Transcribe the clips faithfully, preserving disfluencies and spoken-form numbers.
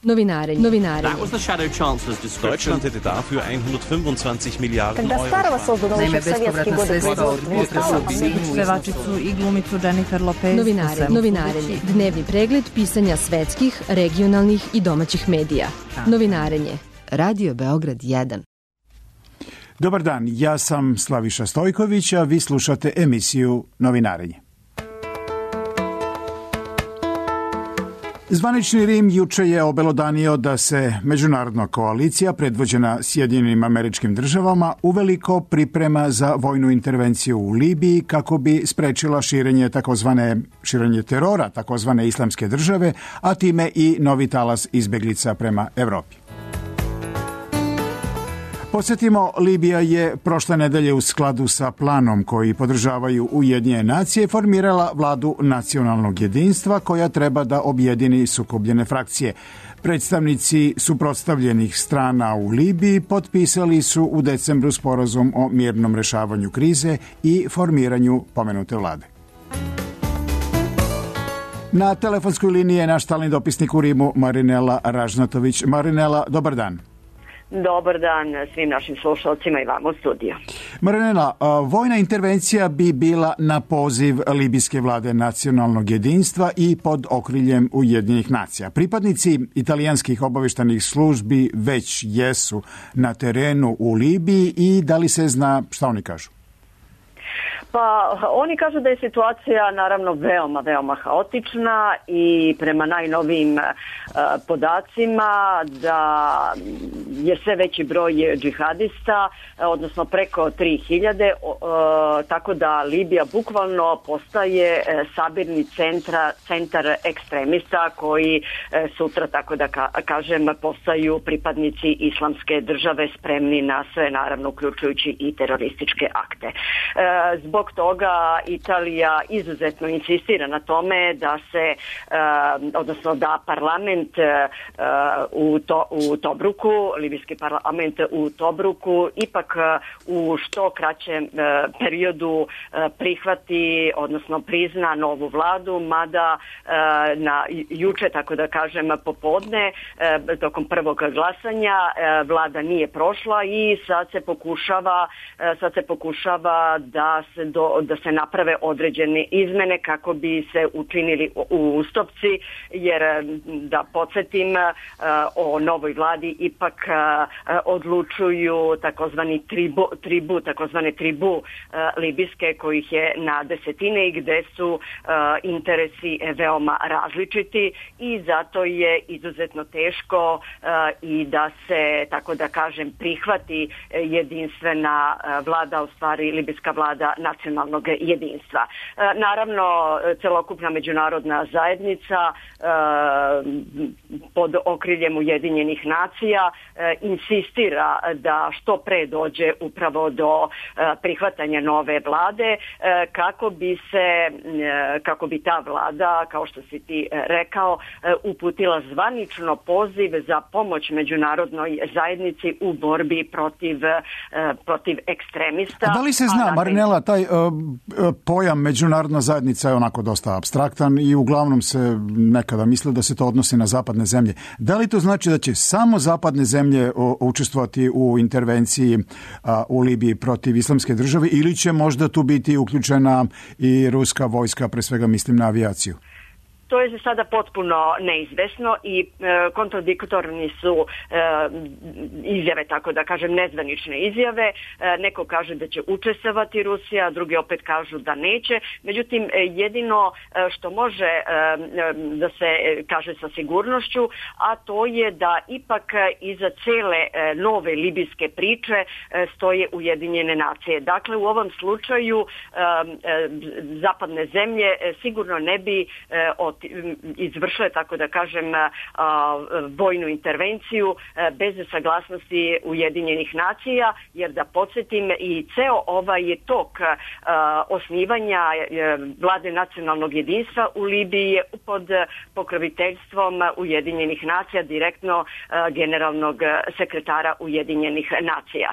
Novinarenje. Novinarenje. That was the shadow chancellor's description. Deutschland hätte dafür hundertfünfundzwanzig Miliarden Когда Старого создано еще в советские годы производство, pevačicu i glumicu Jennifer Lopez. Novinarenje. Novinarenje. Dnevni pregled pisanja svetskih, regionalnih i domaćih medija. Novinarenje. Radio Beograd jedan. Dobar dan, ja sam Slaviša Stojković, a vi slušate emisiju Novinarenje. Zvanični Rim juče je obelodanio da se međunarodna koalicija predvođena Sjedinjenim Američkim Državama uveliko priprema za vojnu intervenciju u Libiji kako bi sprečila širenje takozvane širenje terora takozvane Islamske države, a time i novi talas izbeglica prema Evropi. Podsjetimo, Libija je prošle nedelje u skladu sa planom koji podržavaju Ujedinjene nacije formirala vladu nacionalnog jedinstva koja treba da objedini sukobljene frakcije. Predstavnici suprotstavljenih strana u Libiji potpisali su u decembru sporazum o mirnom rešavanju krize i formiranju pomenute vlade. Na telefonskoj liniji je naš stalni dopisnik u Rimu Marinela Ražnatović. Marinela, dobar dan. Dobar dan svim našim slušalcima i vama u studiju. Marinela, vojna intervencija bi bila na poziv libijske vlade nacionalnog jedinstva i pod okriljem Ujedinjenih nacija. Pripadnici italijanskih obavještajnih službi već jesu na terenu u Libiji i da li se zna šta oni kažu? Pa oni kažu da je situacija naravno veoma, veoma haotična i prema najnovijim uh, podacima da je sve veći broj džihadista, odnosno preko tri hiljade, uh, tako da Libija bukvalno postaje uh, sabirni centra, centar ekstremista koji uh, sutra, tako da ka, kažem, postaju pripadnici Islamske države spremni na sve, naravno uključujući i terorističke akte. Uh, zbog Zbog toga Italija izuzetno insistira na tome da se, uh, odnosno da parlament uh, u, to, u Tobruku, libijski parlament u Tobruku, ipak uh, u što kraćem uh, periodu uh, prihvati, odnosno prizna novu vladu, mada uh, na juče, tako da kažem, popodne, uh, tokom prvog glasanja, uh, vlada nije prošla i sad se pokušava, uh, sad se pokušava da se Do, da se naprave određene izmene kako bi se učinili ustupci, jer da podsjetim, o novoj vladi ipak odlučuju takozvani tribu, tribu takozvane tribu libijske kojih je na desetine i gde su interesi veoma različiti i zato je izuzetno teško i da se, tako da kažem, prihvati jedinstvena vlada, u stvari libijska vlada nacionalnog jedinstva. Naravno, celokupna međunarodna zajednica pod okriljem Ujedinjenih nacija insistira da što pre dođe upravo do prihvatanja nove vlade kako bi se, kako bi ta vlada, kao što si ti rekao, uputila zvanično poziv za pomoć međunarodnoj zajednici u borbi protiv, protiv ekstremista. A da li se zna, Marinela, taj pojam međunarodna zajednica je onako dosta apstraktan i uglavnom se nekada misli da se to odnosi na zapadne zemlje. Da li to znači da će samo zapadne zemlje učestvovati u intervenciji u Libiji protiv Islamske države ili će možda tu biti uključena i ruska vojska, pre svega mislim na avijaciju? To je za sada potpuno neizvesno i e, kontradiktorni su e, izjave, tako da kažem, nezvanične izjave. E, neko kaže da će učestvovati Rusija, drugi opet kažu da neće. Međutim, jedino e, što može e, da se kaže sa sigurnošću, a to je da ipak iza cele e, nove libijske priče e, stoje Ujedinjene nacije. Dakle, u ovom slučaju e, e, zapadne zemlje e, sigurno ne bi e, od izvršile, tako da kažem, vojnu intervenciju bez saglasnosti Ujedinjenih nacija, jer da podsjetim i ceo ovaj tok osnivanja vlade nacionalnog jedinstva u Libiji je pod pokroviteljstvom Ujedinjenih nacija, direktno generalnog sekretara Ujedinjenih nacija.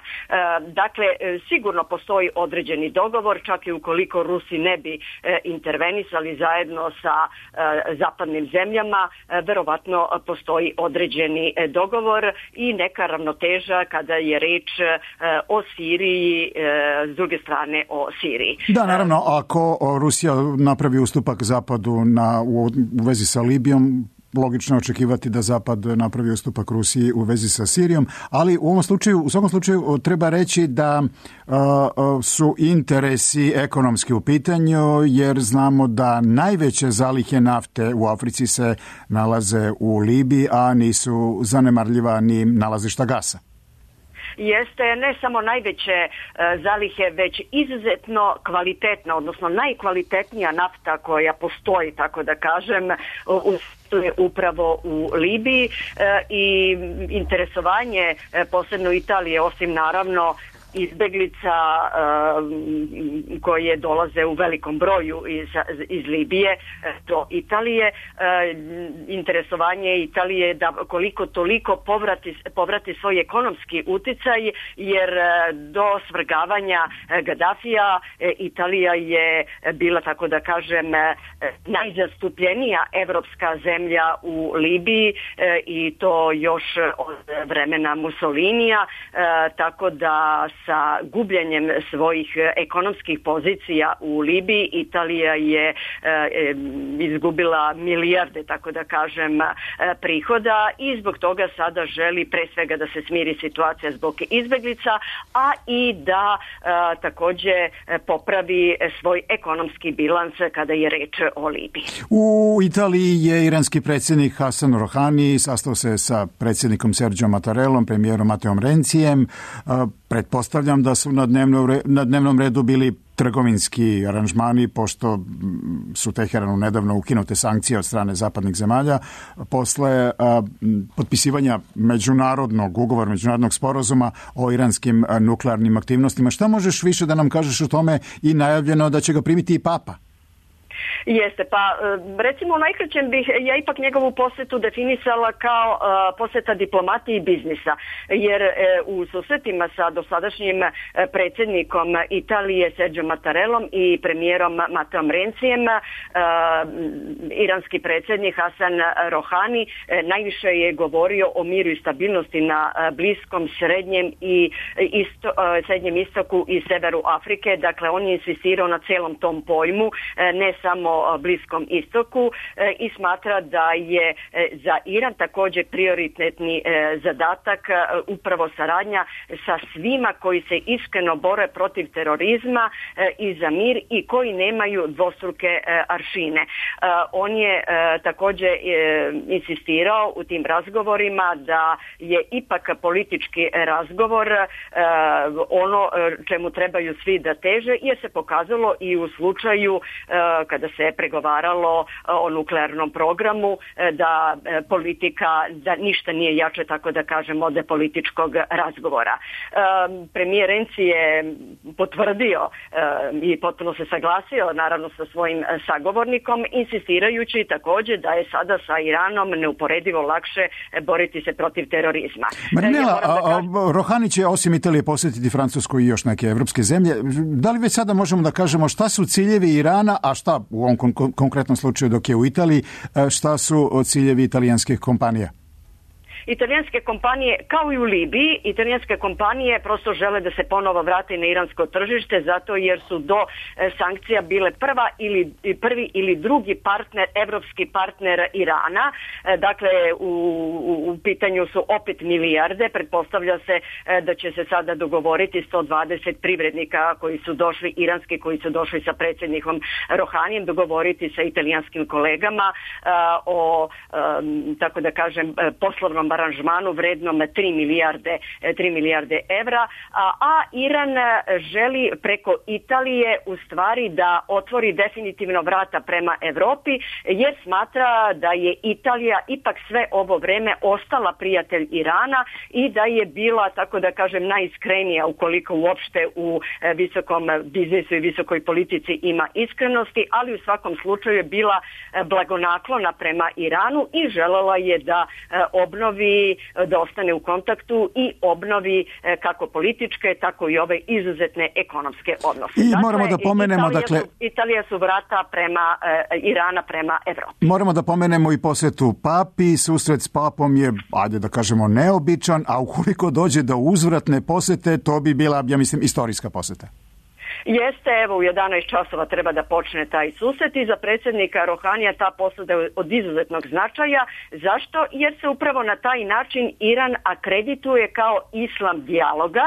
Dakle, sigurno postoji određeni dogovor, čak i ukoliko Rusi ne bi intervenisali zajedno sa zapadnim zemljama verovatno postoji određeni dogovor i neka ravnoteža kada je reč o Siriji, s druge strane o Siriji. Da, naravno, ako Rusija napravi ustupak Zapadu na, u, u vezi sa Libijom, logično je očekivati da Zapad napravi ustupak Rusiji u vezi sa Sirijom, ali u ovom slučaju, u svakom slučaju treba reći da uh, su interesi ekonomski u pitanju, jer znamo da najveće zalihe nafte u Africi se nalaze u Libiji, a nisu zanemarljiva ni nalazišta gasa. Jeste ne samo najveće e, zalihe, već izuzetno kvalitetna, odnosno najkvalitetnija nafta koja postoji, tako da kažem, u upravo u Libiji e, i interesovanje e, posebno Italije, osim naravno izbeglica uh, koje dolaze u velikom broju iz, iz Libije do Italije. Uh, interesovanje Italije da koliko toliko povrati, povrati svoj ekonomski uticaj, jer uh, do svrgavanja uh, Gadafija uh, Italija je bila, tako da kažem, uh, najzastupljenija evropska zemlja u Libiji uh, i to još od vremena Mussolinija, uh, tako da sa gubljenjem svojih ekonomskih pozicija u Libiji Italija je e, izgubila milijarde, tako da kažem, prihoda i zbog toga sada želi pre svega da se smiri situacija zbog izbeglica, a i da e, takođe popravi svoj ekonomski bilans kada je reč o Libiji. U Italiji je iranski predsjednik Hasan Rohani sastao se sa predsjednikom Serđom Mattarellom, premijerom Mateom Rencijem. Pretpostavljam da su na dnevnom, na dnevnom redu bili trgovinski aranžmani, pošto su Teheranu nedavno ukinute sankcije od strane zapadnih zemalja posle a, potpisivanja međunarodnog ugovora, međunarodnog sporazuma o iranskim a, nuklearnim aktivnostima. Šta možeš više da nam kažeš o tome i najavljeno da će ga primiti i Papa? Jeste, pa recimo u najkraćem bih ja ipak njegovu posetu definisala kao uh, poseta diplomatije i biznisa, jer uh, u susretima sa dosadašnjim uh, predsjednikom Italije Serđom Mattarellom i premijerom Mateom Rencijem, uh, iranski predsjednik Hasan Rohani uh, najviše je govorio o miru i stabilnosti na uh, Bliskom, Srednjem i isto, uh, Srednjem istoku i severu Afrike. Dakle, on je insistirao na celom tom pojmu, uh, ne samo Bliskom istoku e, i smatra da je e, za Iran također prioritetni e, zadatak e, upravo saradnja sa svima koji se iskreno bore protiv terorizma e, i za mir i koji nemaju dvostruke e, aršine. E, on je e, također e, insistirao u tim razgovorima da je ipak politički razgovor e, ono čemu trebaju svi da teže, jer se pokazalo i u slučaju e, kada se pregovaralo o nuklearnom programu, da politika, da ništa nije jače, tako da kažem, od političkog razgovora. Premijer Renzi je potvrdio i potpuno se saglasio naravno sa svojim sagovornikom, insistirajući također da je sada sa Iranom neuporedivo lakše boriti se protiv terorizma. Marinela, ja kažem... Rohani će osim Italije posjetiti Francusku i još neke evropske zemlje. Da li već sada možemo da kažemo šta su ciljevi Irana, a šta u ovom kon- konkretnom slučaju dok je u Italiji, šta su ciljevi italijanskih kompanija? Italijanske kompanije, kao i u Libiji, italijanske kompanije prosto žele da se ponovo vrate na iransko tržište, zato jer su do e, sankcija bile prva ili prvi ili drugi partner, evropski partner Irana. E, dakle, u, u, u pitanju su opet milijarde. Pretpostavlja se e, da će se sada dogovoriti sto dvadeset privrednika koji su došli, iranski, koji su došli sa predsjednikom Rohanijem, dogovoriti sa italijanskim kolegama e, o, e, tako da kažem, poslovnom aranžmanu vrednom tri milijarde, tri milijarde evra, a, a Iran želi preko Italije u stvari da otvori definitivno vrata prema Evropi, jer smatra da je Italija ipak sve ovo vreme ostala prijatelj Irana i da je bila, tako da kažem, najiskrenija, ukoliko uopšte u visokom biznisu i visokoj politici ima iskrenosti, ali u svakom slučaju je bila blagonaklona prema Iranu i želela je da obnovi obnovi, da ostane u kontaktu i obnovi kako političke, tako i ove izuzetne ekonomske odnose. I dakle, moramo da pomenemo, Italija, dakle... su, Italija su vrata prema Irana, prema Evropi. Moramo da pomenemo i posetu papi. Susret s papom je, ajde da kažemo, neobičan, a ukoliko dođe do uzvratne posete, to bi bila, ja mislim, istorijska poseta. Jeste, evo u jedanaest časova treba da počne taj susret i za predsjednika Rohanija ta posada je od izuzetnog značaja. Zašto? Jer se upravo na taj način Iran akredituje kao islam dijaloga,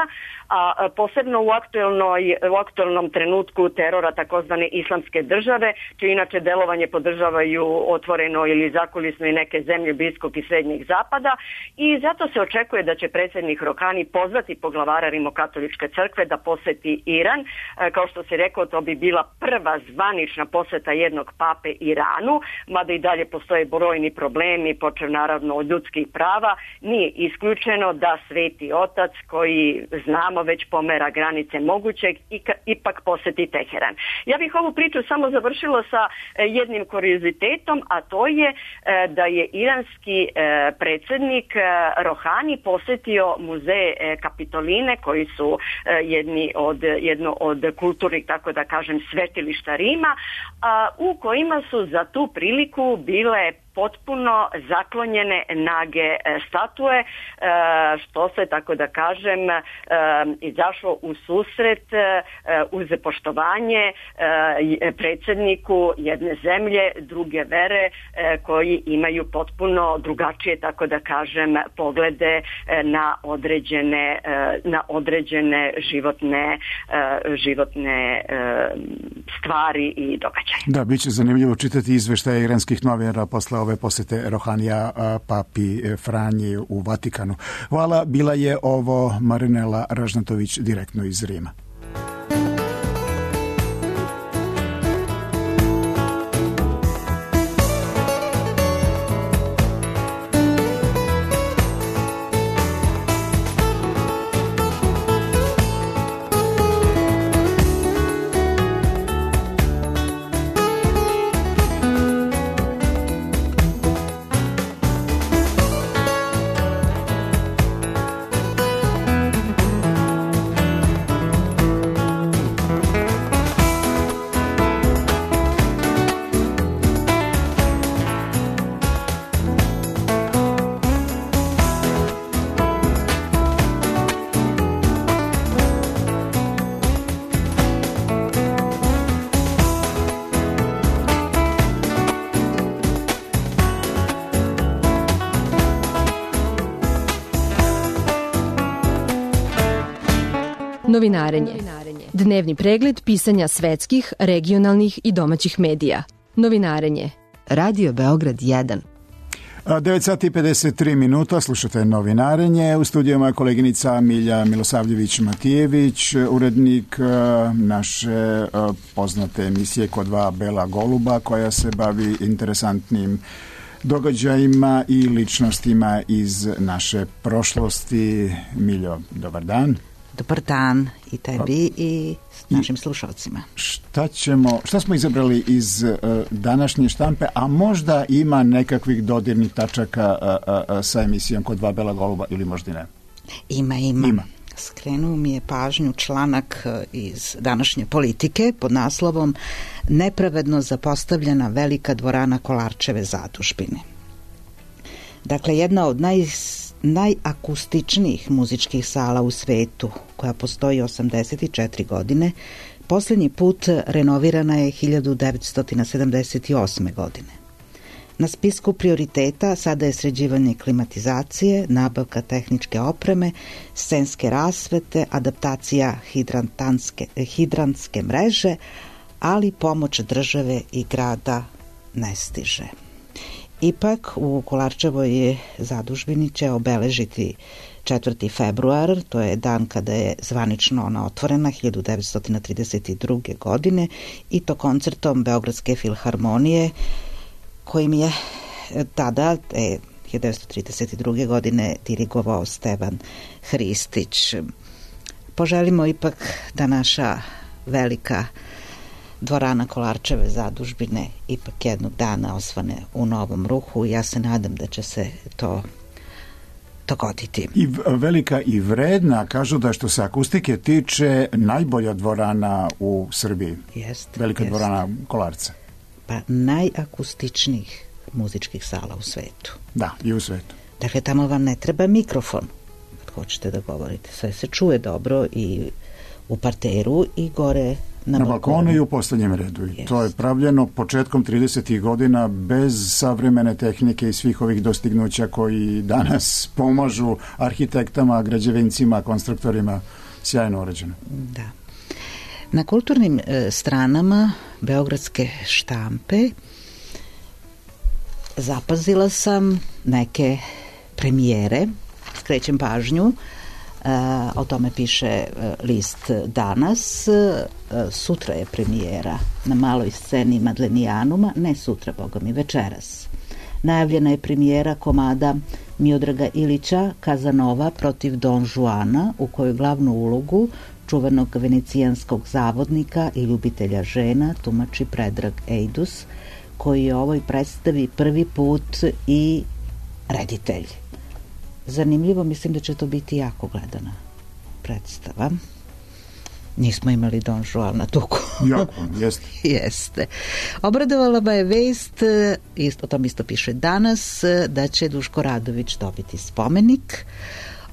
a posebno u, aktuelnoj, u aktuelnom trenutku terora takozvane islamske države, čije inače delovanje podržavaju otvoreno ili zakulisno i neke zemlje Bliskog i Srednjeg zapada, i zato se očekuje da će predsjednik Rohani pozvati poglavara Rimokatoličke crkve da poseti Iran. Kao što se rekao, to bi bila prva zvanična poseta jednog pape Iranu, mada i dalje postoje brojni problemi, počev naravno od ljudskih prava. Nije isključeno da Sveti Otac, koji znamo već pomera granice mogućeg, ipak poseti Teheran. Ja bih ovu priču samo završila sa jednim kuriozitetom, a to je da je iranski predsjednik Rohani posjetio muzej Kapitoline, koji su jedni od, jedno od kulturnih, tako da kažem, svetilišta Rima, a, u kojima su za tu priliku bile potpuno zaklonjene nage statue, što se, tako da kažem, izašlo u susret uz poštovanje predsjedniku jedne zemlje, druge vere, koji imaju potpuno drugačije, tako da kažem, poglede na određene, na određene životne, životne stvari i događaje. Da, bit će zanimljivo čitati izveštaje iranskih novinara posle ove posete Rohanija papi Franji u Vatikanu. Hvala, bila je ovo Marinela Ražnatović direktno iz Rima. Novinarenje. Dnevni pregled pisanja svetskih, regionalnih i domaćih medija. Novinarenje. Radio Beograd jedan. devet sati i pedeset tri minuta, slušate Novinarenje. U studiju moja koleginica Milja Milosavljević-Matijević, urednik naše poznate emisije Kod dva bela goluba, koja se bavi interesantnim događajima i ličnostima iz naše prošlosti. Miljo, dobar dan. Dobar dan i tebi i našim slušalcima. Šta ćemo, šta smo izabrali iz uh, današnje štampe, a možda ima nekakvih dodirnih tačaka uh, uh, sa emisijom Kod dva bela goluba ili možda ne? Ima, ima. ima. Skrenuo mi je pažnju članak iz današnje Politike pod naslovom Nepravedno zapostavljena velika dvorana Kolarčeve zadužbine. Dakle, jedna od naj najakustičnijih muzičkih sala u svetu, koja postoji osamdeset četiri godine, posljednji put renovirana je hiljadu devetsto sedamdeset osme. godine. Na spisku prioriteta sada je sređivanje klimatizacije, nabavka tehničke opreme, scenske rasvete, adaptacija hidrantske mreže, ali pomoć države i grada ne stiže. Ipak, u Kolarčevoj zadužbini će obeležiti četvrti februar, to je dan kada je zvanično ona otvorena hiljadu devetsto trideset druge. godine, i to koncertom Beogradske filharmonije, kojim je tada, e, hiljadu devetsto trideset druge. godine, dirigovao Stevan Hristić. Poželimo ipak da naša velika dvorana Kolarčeve zadužbine ipak jednog dana osvane u novom ruhu. Ja se nadam da će se to dogoditi. I velika i vredna, kažu da što se akustike tiče najbolja dvorana u Srbiji. Jest, velika jest. dvorana Kolarca. Pa najakustičnijih muzičkih sala u svetu. Da, i u svetu. Dakle, tamo vam ne treba mikrofon kad hoćete da govorite. Sve se čuje dobro i u parteru i gore na, na balkonu. balkonu i u poslednjem redu. I to je pravljeno početkom tridesetih godina bez savremene tehnike i svih ovih dostignuća koji danas pomažu arhitektama, građevincima, konstruktorima. Sjajno urađeno. Da. Na kulturnim e, stranama beogradske štampe zapazila sam neke premijere, skrećem pažnju, e, o tome piše list Danas, e, sutra je premijera na maloj sceni Madlenijanuma, ne sutra, boga mi, večeras. Najavljena je premijera komada Miodraga Ilića Kazanova protiv Don Juana, u kojoj glavnu ulogu čuvenog venecijanskog zavodnika i ljubitelja žena tumači Predrag Ejdus, koji je ovoj predstavi prvi put i reditelj. Zanimljivo, mislim da će to biti jako gledana predstava. Nismo imali Don Juana tuku. Jako, jeste. Jeste. Obradovala ba je vest, isto, o tom isto piše Danas, da će Duško Radović dobiti spomenik.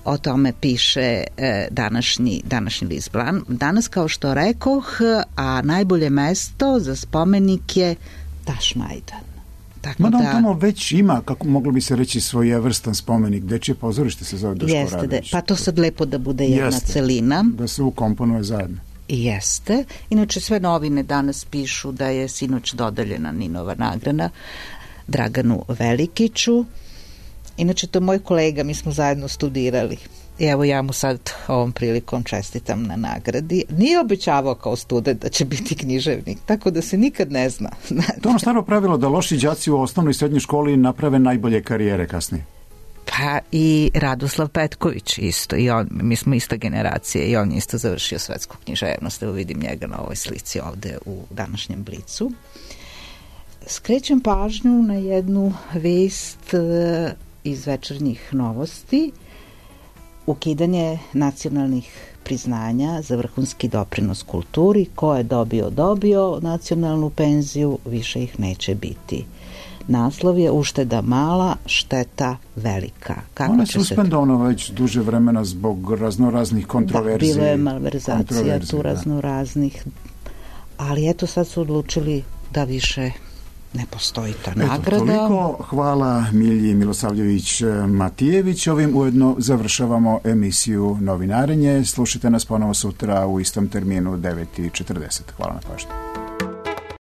O tome piše e, današnji, današnji list Danas, kao što rekoh, a najbolje mesto za spomenik je Tašmajdan. Tako Mada on da, tamo već ima, kako moglo bi se reći, svojevrstan spomenik. Dečije pozorište se zove Duško jeste, Radović. Da, pa to sad lepo da bude jedna jeste, celina. da se ukomponuje zajedno. Jeste. Inače, sve novine danas pišu da je sinoć dodeljena Ninova nagrada Draganu Velikiću. Inače, to je moj kolega, mi smo zajedno studirali. I evo ja mu sad ovom prilikom čestitam na nagradi. Nije obećavao kao student da će biti književnik, tako da se nikad ne zna. To ono staro pravilo da loši đaci u osnovnoj i srednjoj školi naprave najbolje karijere kasnije. Pa i Radoslav Petković isto. I on, mi smo ista generacija i on je isto završio svetsku književnost. Evo vidim njega na ovoj slici ovde u današnjem Blicu. Skrećem pažnju na jednu vest iz večernjih novosti. Ukidanje nacionalnih priznanja za vrhunski doprinos kulturi. Ko je dobio, dobio nacionalnu penziju, više ih neće biti. Naslov je ušteda mala, šteta velika. Kako Ona je će suspendovana se... već duže vremena zbog raznoraznih kontroverzija. Da, bilo je malverzacija tu raznoraznih, ali eto sad su odlučili da više ne postoji ta Eto, nagrada. Toliko. Hvala Milji Milosavljević-Matijević. Ovim ujedno završavamo emisiju Novinarenje. Slušajte nas ponovo sutra u istom terminu devet i četrdeset. Hvala na pažnju.